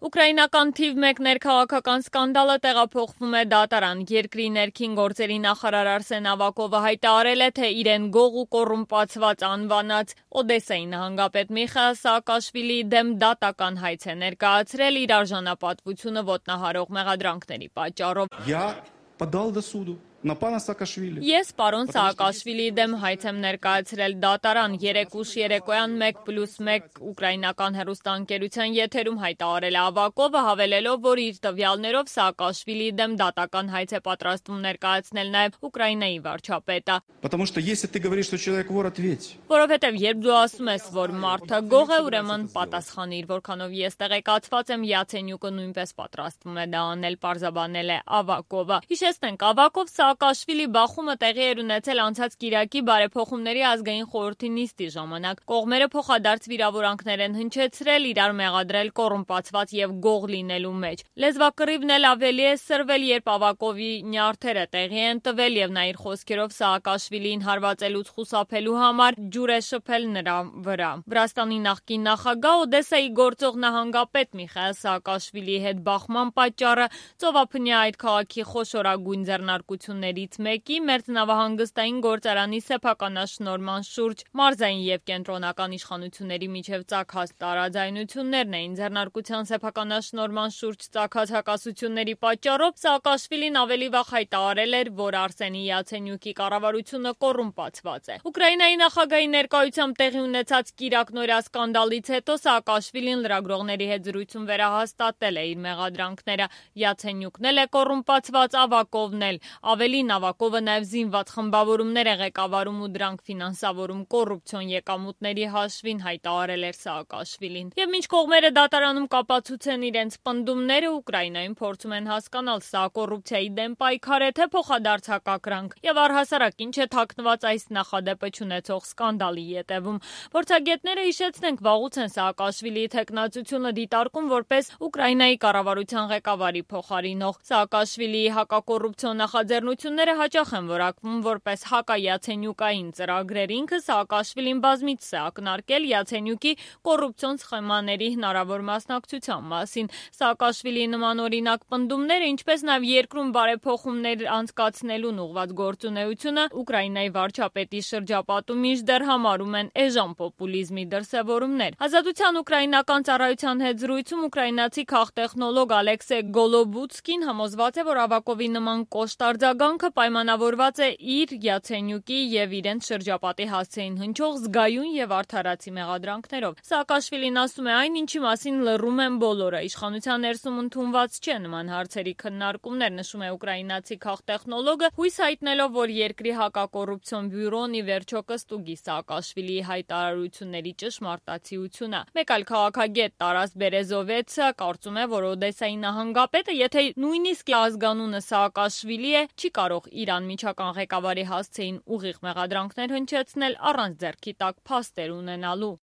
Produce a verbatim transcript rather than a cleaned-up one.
Ուկրաինական թիվ մեկ ներքաղաքական սկանդալը տեղափոխվում է դատարան։ Երկրի ներքին գործերի նախարար Արսեն Ավակովը հայտարարել է, թե իրեն գող ու կոռումպացված անվանած Օդեսայի նահանգապետ Միխայիլ Սաակաշվիլիի դեմ դատական հայց է ներկայացրել իր արժանապատվությունը ոտնահարող մեղադրանքների պատճառով։ Я подал до суду на пана Саакашвили. Ես պարոն Սաակաշվիլիի դեմ հայց եմ ներկայացրել դատարան։ Երեկ ուշ երեկոյան մեկ պլյուս մեկ ուկրաինական հեռուստաընկերության եթերում հայտարարել է Ավակովը, հավելելով, որ իր տվյալներով Սաակաշվիլիի դեմ դատական հայց է պատրաստվում ներկայացնել նաև Ուկրաինայի վարչապետը։ Потому что если ты говоришь, что человек вор, ответь. Որովհետև երբ դու ասում ես, որ մարդը գող է, ուրեմն պատասխանիր, որքանով ես տեղեկացված եմ, Յացենյուկը նույնպես պատրաստվում է դա անել, պարզաբանել է Ավակովը։ Հիշեցնենք, Ավակով Սաակաշվիլի բախումը տեղի էր ունեցել անցած կիրակի բարեփոխումների ազգային խորհրդի նիստի ժամանակ։ Կողմերը փոխադարձ վիրավորանքներ են հնչեցրել, իրար մեղադրել կոռումպացված եւ գող լինելու մեջ։ Լեզվակռիվն էլ ավելի է սրվել, երբ Ավակովի նյարդերը տեղի են տվել եւ նա իր խոսքերով Սաակաշվիլին հարվածելուց խուսափելու համար ջուր է շփել նրա վրա։ Վրաստանի նախկին նախագահ Օդեսայի գործող նահանգապետ Միխայիլ Սաակաշվիլիի հետ բախման պատճառը ծովափնյա այդ քաղաքի խոշորագույն ձեռնարկություններից մեկի մերձնավահանգստային գործարանի սեփականաշնորհման շուրջ մարզային եւ կենտրոնական իշխանությունների միջև ծագած տարաձայնություններն էին։ Ձեռնարկության սեփականաշնորհման շուրջ ծագած հակասությունների պատճառով Սաակաշվիլին ավելի վաղ հայտարարել էր, որ Արսենի Յացենյուկի կառավարությունը կոռումպացված է։ Ուկրաինայի նախագահի ներկայությամբ տեղի ունեցած կիրակնօրյա սկանդալից հետո Սաակաշվիլին լրագրողների հետ զրույցում վերահաստատել է իր մեղադրանքները։ Յացենյուկն էլ է կոռումպացված, Ավակովն էլ։ Ավելին, Ավակովը նաև զինված խմբավորումներ է ղեկավարում ու դրանք ֆինանսավորում կոռուպցիոն եկամուտների հաշվին, հայտարարել էր Սաակաշվիլին։ Եվ մինչ կողմերը դատարանում կապացուցեն իրենց պնդումները, Ուկրաինայում փորձում են հասկանալ, սա կոռուպցիայի դեմ պայքար է, թե փոխադարձ հակակրանք, եւ առհասարակ ինչ է թաքնված այս նախադեպը չունեցող սկանդալի ետևում։ Փորձագետները, հիշեցնենք, վաղուց են Սաակաշվիլիի թեկնածությունը դիտարկում որպես Ուկրաինայի կառավարության ղեկավարի փոխարինող։ Սաակաշվիլիի հակակոռուպցիոն նախաձեռնությունները հաճախ են որակվում որպես հակա-յացենյուկային ծրագրեր։ Ինքը Սաակաշվիլին բազմիցս է ակնարկել Յացենյուկի կոռուպցիոն սխեմաների հնարավոր մասնակցության մասին։ Սաակաշվիլիի նման օրինակ պնդումները, ինչպես նաև երկրում բարեփոխումներ անցկացնելուն ուղղված գործունեությունը Ուկրաինայի վարչապետի շրջապատում մինչդեռ համարում են էժան պոպուլիզմի դրսևորումներ։ Ազատության ուկրաինական ծառայության հետ զրույցում ուկրաինացի քաղտեխնոլոգ Ալեքսե Գոլոբուցկին համոզված է, որ Ավակովի նման կոշտ արձագանքը պայմանավորված է իր, Յացենյուկի եւ իրենց շրջապատի հասցեին հնչող զգայուն եւ արդարացի մեղադրանքներով։ Սաակաշվիլին ասում է, այն ինչի մասին լռում են բոլորը, իշխանության ներսում ընդունված չէ նման հարցերի քննարկումներ, նշում է ուկրաինացի քաղտեխնոլոգը, հույս հայտնելով, որ երկրի հակակոռուպցիոն բյուրոն ի վերջո կստուգի Սաակաշվիլիի հայտարարությունների ճշմարտացիությունը։ Մեկ այլ քաղաքագետ Տարաս Բերեզովեցը կարծում է, որ Օդեսայի նահանգապետը, եթե նույնիսկ ազգանունը Սաակաշվիլի է, չի կարող իր անմիջական ղեկավարի հասցեին ուղիղ մեղադրանքներ հնչեցնել առանց ձեռքի տակ փաստեր ունենալու։